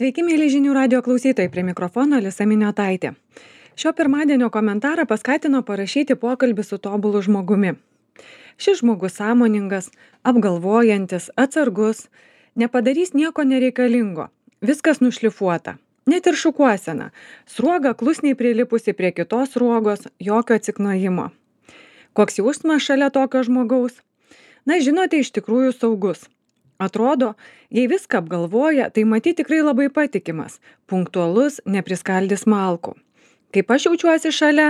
Sveiki, mėly žinių radio klausytojai, prie mikrofono Alisa Miniotaitė. Šio pirmadienio komentarą paskatino parašyti pokalbį su tobulu žmogumi. Šis žmogus sąmoningas, apgalvojantis, atsargus, nepadarys nieko nereikalingo, viskas nušlifuota. Net ir šukuosena, sruoga klusniai prilipusi prie kitos sruogos, jokio atsiknojimo. Koks jausmas šalia tokio žmogaus? Na, žinote, iš tikrųjų saugus. Atrodo, jei viską apgalvoja, tai matyti tikrai labai patikimas, punktualus, nepriskaldys malkų. Kaip aš jaučiuosi šalia?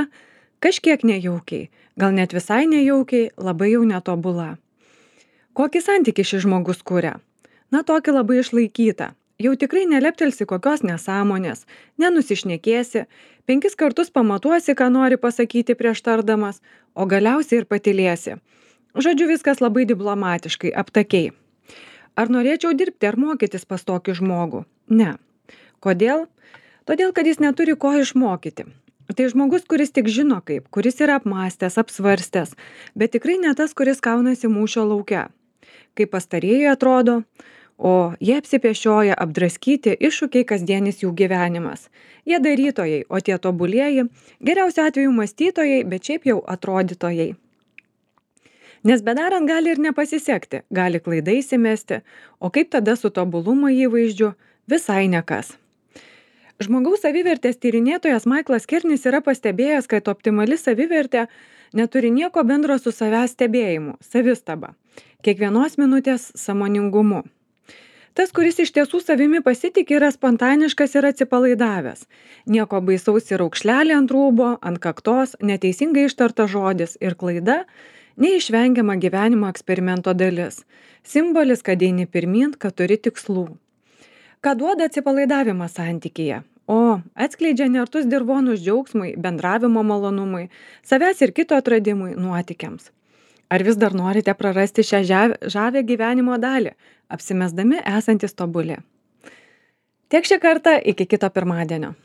Kažkiek nejaukiai, gal net visai nejaukiai, labai jau netobula. Kokį santykį šis žmogus kuria? Na, tokį labai išlaikytą. Jau tikrai neleptelsi kokios nesąmonės, nenusišnekėsi, 5 kartus pamatuosi, ką nori pasakyti prieš tardamas, o galiausiai ir patylėsi. Žodžiu, viskas labai diplomatiškai, aptakiai. Ar norėčiau dirbti ar mokytis pas tokį žmogų? Ne. Kodėl? Todėl, kad jis neturi ko išmokyti. Tai žmogus, kuris tik žino kaip, kuris yra apmąstęs, apsvarstęs, bet tikrai ne tas, kuris kaunasi mūšio lauke. Kaip pastarieji atrodo, o jie apsipešioja, apdraskyti iššūkiai kasdienis jų gyvenimas. Jie darytojai, o tie tobulieji, geriausiu atveju mąstytojai, bet šiaip jau atrodytojai. Nes bedarant gali ir nepasisekti, gali klaidai įsimesti, o kaip tada su tobulumo įvaizdžiu? Visai nekas. Žmogaus savivertės tyrinėtojas Michaelas Kernis yra pastebėjęs, kad optimali savivertė neturi nieko bendro su savęs stebėjimu, savistaba, kiekvienos minutės sąmoningumu. Tas, kuris iš tiesų savimi pasitikė, yra spontaniškas ir atsipalaidavęs. Nieko baisaus ir raukšlelė ant rūbo, ant kaktos, neteisingai ištartas žodis ir klaida – neišvengiama gyvenimo eksperimento dalis. Simbolis, kad eini pirmyn, kad turi tikslų. Ką duoda atsipalaidavimas santykyje? O, atskleidžia nertus dirvonus džiaugsmui, bendravimo malonumui, savęs ir kito atradimui, nuotykiams. Ar vis dar norite prarasti šią žavę gyvenimo dalį, apsimesdami esantis tobuli? Tiek šį kartą, iki kito pirmadienio.